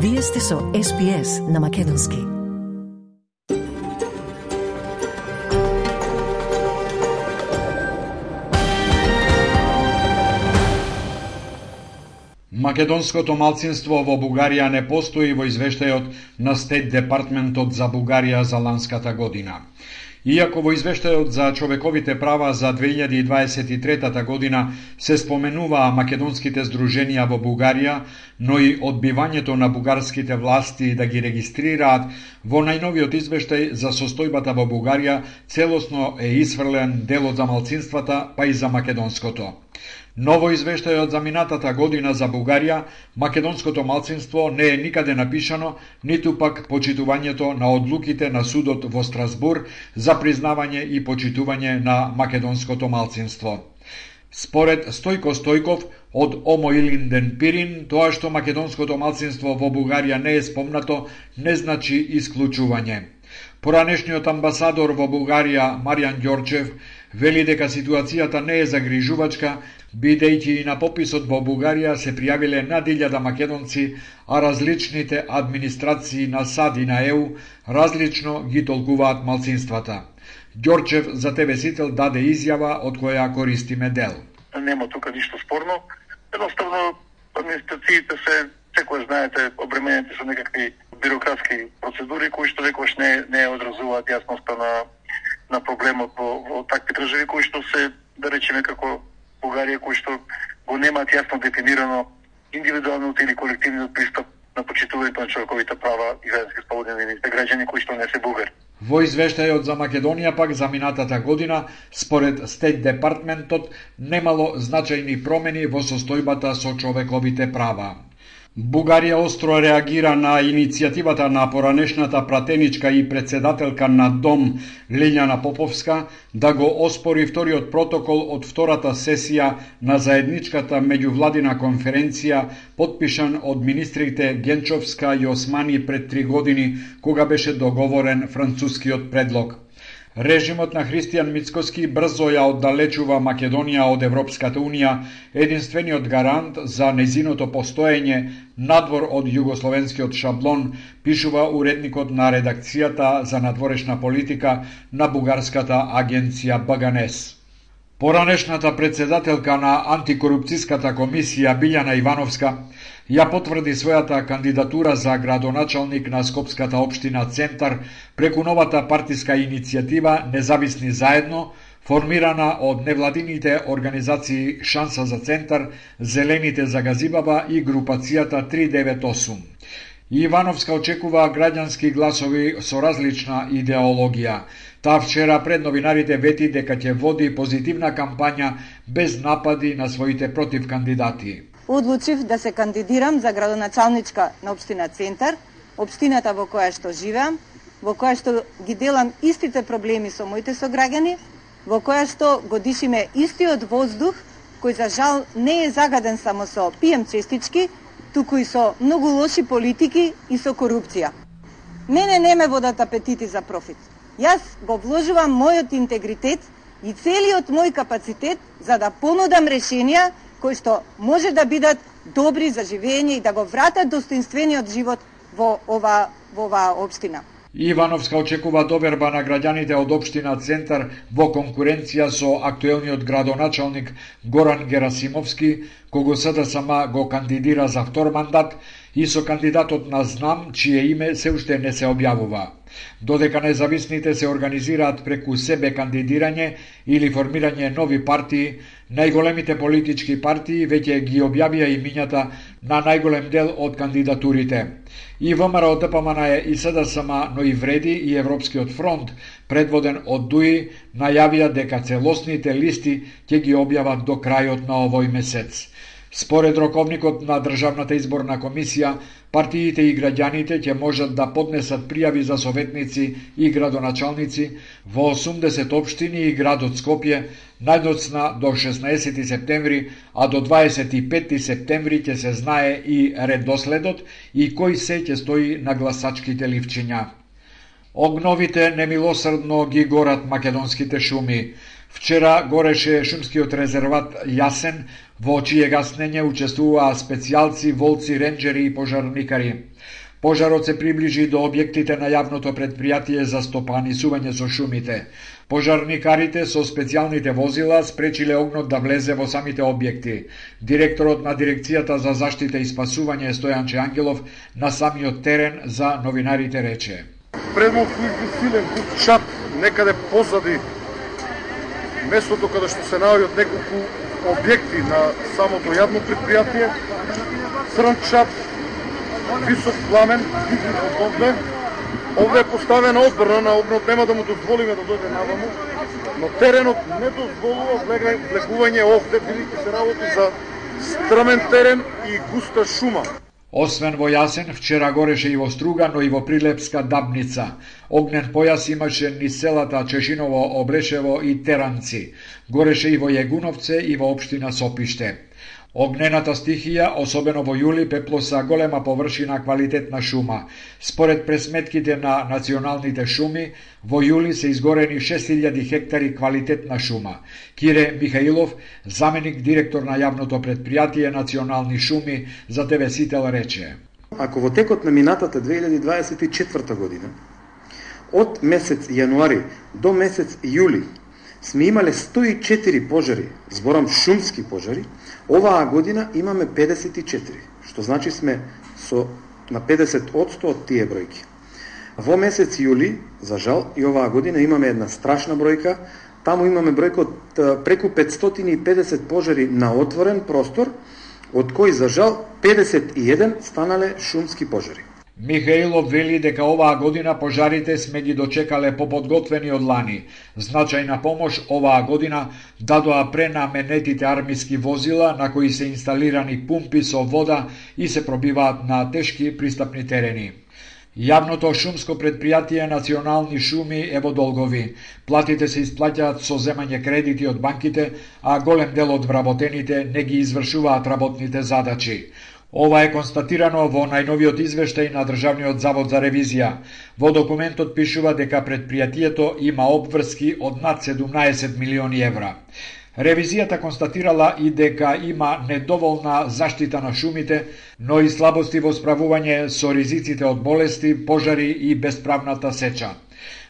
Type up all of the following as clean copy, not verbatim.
Вие сте со SPS на Македонски. Македонското малцинство во Бугарија не постои во извештајот на Стейт Департментот за Бугарија за ланската година. Иако во извештајот за човековите права за 2023 година се споменуваа македонските здруженија во Бугарија, но и одбивањето на бугарските власти да ги регистрираат, во најновиот извештај за состојбата во Бугарија целосно е исфрлен делот за малцинствата, па и за македонското. Но во извештајот за минатата година за Бугарија, македонското малцинство не е никаде напишано, ниту пак почитувањето на одлуките на судот во Страсбур за признавање и почитување на македонското малцинство. Според Стојко Стојков од Омо Илинден Пирин, тоа што македонското малцинство во Бугарија не е спомнато, не значи исклучување. Поранешниот амбасадор во Бугарија, Маријан Ѓорчев, вели дека ситуацијата не е загрижувачка, бидејќи и на пописот во Бугарија се пријавиле над 1000 македонци, а различните администрации на САД и на ЕУ различно ги толкуваат малцинствата. Ѓорчев за ТВ Сител даде изјава од која користиме дел. Нема тука ништо спорно. Едноставно администрациите се, секој знаете, обременети со некакви бирократски процедури кои што некојаш не одразуваат јасноста на проблемот во такви држави кои што се, да речеме како Бугарија, кои што го немаат јасно дефинирано индивидуалниот или колективниот пристап на почитувањето на човековите права и граѓански слободи на нивните граѓани кои што не се бугари. Во извештајот за Македонија пак за минатата година, според Стейт Департментот, немало значајни промени во состојбата со човековите права. Бугарија остро реагира на иницијативата на поранешната пратеничка и председателка на Дом Лиљана Поповска да го оспори вториот протокол од втората сесија на заедничката меѓувладина конференција потпишан од министрите Генчовска и Османи пред 3 години, кога беше договорен францускиот предлог. Режимот на Христијан Мицкоски брзо ја оддалечува Македонија од Европската Унија, единствениот гарант за незиното постоење надвор од југословенскиот шаблон, пишува уредникот на редакцијата за надворешна политика на бугарската агенција БГНЕС. Поранешната председателка на антикорупцијската комисија Билјана Ивановска ја потврди својата кандидатура за градоначалник на Скопската општина Центар преку новата партиска иницијатива Независни заедно, формирана од невладините организации Шанса за Центар, Зелените за Газибаба и групацијата 398. Ивановска очекува граѓански гласови со различна идеологија. Таа вчера пред новинарите вети дека ќе води позитивна кампања без напади на своите против кандидати. Одлучив да се кандидирам за градоначалничка на општина Центар, општината во која што живеам, во која што ги делам истите проблеми со моите сограѓани, во која што го дишиме истиот воздух, кој за жал не е загаден само со пием честички, туку и со многу лоши политики и со корупција. Мене не ме водат апетити за профит. Јас го вложувам мојот интегритет и целиот мој капацитет за да понудам решенија кои што може да бидат добри за живење и да го вратат достоинствениот живот во оваа општина. Ивановска очекува доверба на граѓаните од општина Центар во конкуренција со актуелниот градоначалник Горан Герасимовски, кого СДСМ го кандидира за втор мандат, и со кандидатот на Знам, чие име се уште не се објавува. Додека независните се организираат преку себе кандидирање или формирање нови партии, најголемите политички партии веќе ги објавија имињата на најголем дел од кандидатурите. И ВМРО, ДПМН и СДСМ, но и Вреди и Европскиот фронт, предводен од ДУИ, најавија дека целосните листи ќе ги објават до крајот на овој месец. Според роковникот на Државната изборна комисија, партиите и граѓаните ќе можат да поднесат пријави за советници и градоначалници во 80 општини и градот Скопје, најдоцна до 16 септември, а до 25 септември ќе се знае и редоследот и кој се ќе стои на гласачките ливчиња. Огновите немилосрдно ги горат македонските шуми. Вчера гореше шумскиот резерват Јасен во чие гаснење учествуваа специјалци, волци, ренџери и пожарникари. Пожарот се приближи до објектите на јавното предпријатие за стопанисување со шумите. Пожарникарите со специјалните возила спречиле огнот да влезе во самите објекти. Директорот на дирекцијата за заштита и спасување Стојанче Ангелов на самиот терен за новинарите рече: Предмов силен чап некаде позади местото каде што се наоѓаат неколку објекти на самото јавно предпријатие. Црн чап, висок пламен, овде. Овде е поставена одбрана на огнот, нема да му дозволиме да дојде наваму, но теренот не дозволува влегување овде, бидејќи се работи за стрмен терен и густа шума. Освен во Јасен, вчера гореше и во Струга, но и во Прилепска Дабница. Огнен појас имаше низ селата Чешиново, Облешево и Теранци. Гореше и во Јегуновце и во општина Сопиште. Огнената стихија, особено во јули, пеплоса голема површина квалитетна шума. Според пресметките на националните шуми, во јули се изгорени 6000 хектари квалитетна шума. Кире Михаилов, заменик директор на јавното предпријатие Национални шуми, за ТВ Сител рече: Ако во текот на минатата 2024 година, од месец јануари до месец јули, сме имале 104 пожари, зборам шумски пожари, оваа година имаме 54, што значи сме на 50% од тие бројки. Во месец јули, за жал, и оваа година имаме една страшна бројка, таму имаме бројка од преку 550 пожари на отворен простор, од кои за жал 51 станале шумски пожари. Михаилов вели дека оваа година пожарите сме ги дочекале поподготвени од лани. Значајна помош оваа година дадоа пренаменетите армиски возила на кои се инсталирани пумпи со вода и се пробиваат на тешки пристапни терени. Јавното шумско предпријатие Национални шуми е во долгови. Платите се исплаќаат со земање кредити од банките, а голем дел од вработените не ги извршуваат работните задачи. Ова е констатирано во најновиот извештај на Државниот завод за ревизија. Во документот пишува дека предпријатието има обврски од над 17 милиони евра. Ревизијата констатирала и дека има недоволна заштита на шумите, но и слабости во справување со ризиците од болести, пожари и бесправната сеча.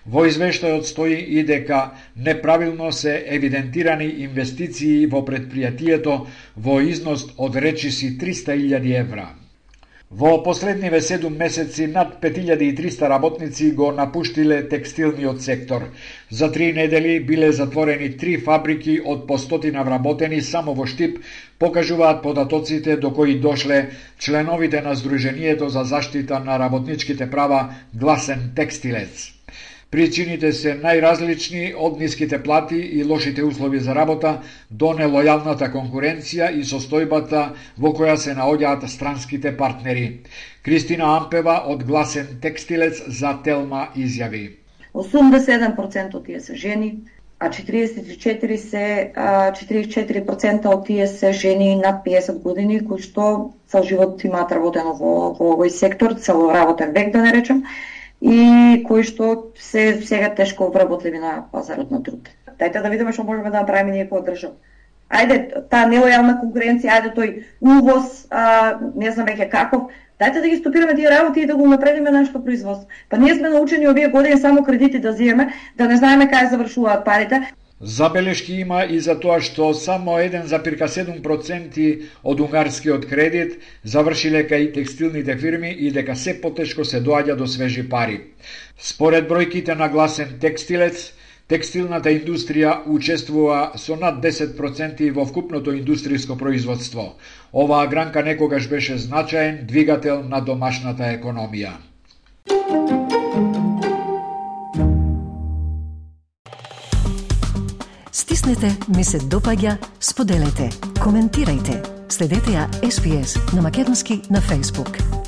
Во извештајот стои и дека неправилно се евидентирани инвестиции во предпријатието во износ од речиси 300.000 евра. Во последниве 7 месеци над 5300 работници го напуштиле текстилниот сектор. За 3 недели биле затворени 3 фабрики од по 100 вработени само во Штип, покажуваат податоците до кои дошле членовите на Сдруженијето за заштита на работничките права Гласен текстилец. Причините се најразлични, од ниските плати и лошите услови за работа до нелојалната конкуренција и состојбата во која се наоѓаат странските партнери. Кристина Ампева од Гласен текстилец за Телма изјави: 87% од тие се жени, а 44% од тие се жени над 50 години кои што цел живот имаат работено во овој сектор, цел работен век да не речем, и кои што се сега тешко вработливи на пазарот на труд. Дајте да видиме што можеме да направиме ние како држава. Ајде, таа нелојална конкуренција, ајде тој увоз, не знам веќе каков, дајте да ги стопираме тие работи и да го напредиме нашето производство. Па ние сме научени овие години само кредити да земеме, да не знаеме кај завршуваат парите. Забелешки има и за тоа што само 1,7% од унгарскиот кредит завршиле кај текстилните фирми и дека се потешко се доаѓа до свежи пари. Според бројките на Гласен текстилец, текстилната индустрија учествува со над 10% во вкупното индустријско производство. Оваа гранка некогаш беше значаен двигател на домашната економија. Стиснете, ми се допаѓа, споделете, коментирајте. Следете ја SPS на Македонски на Facebook.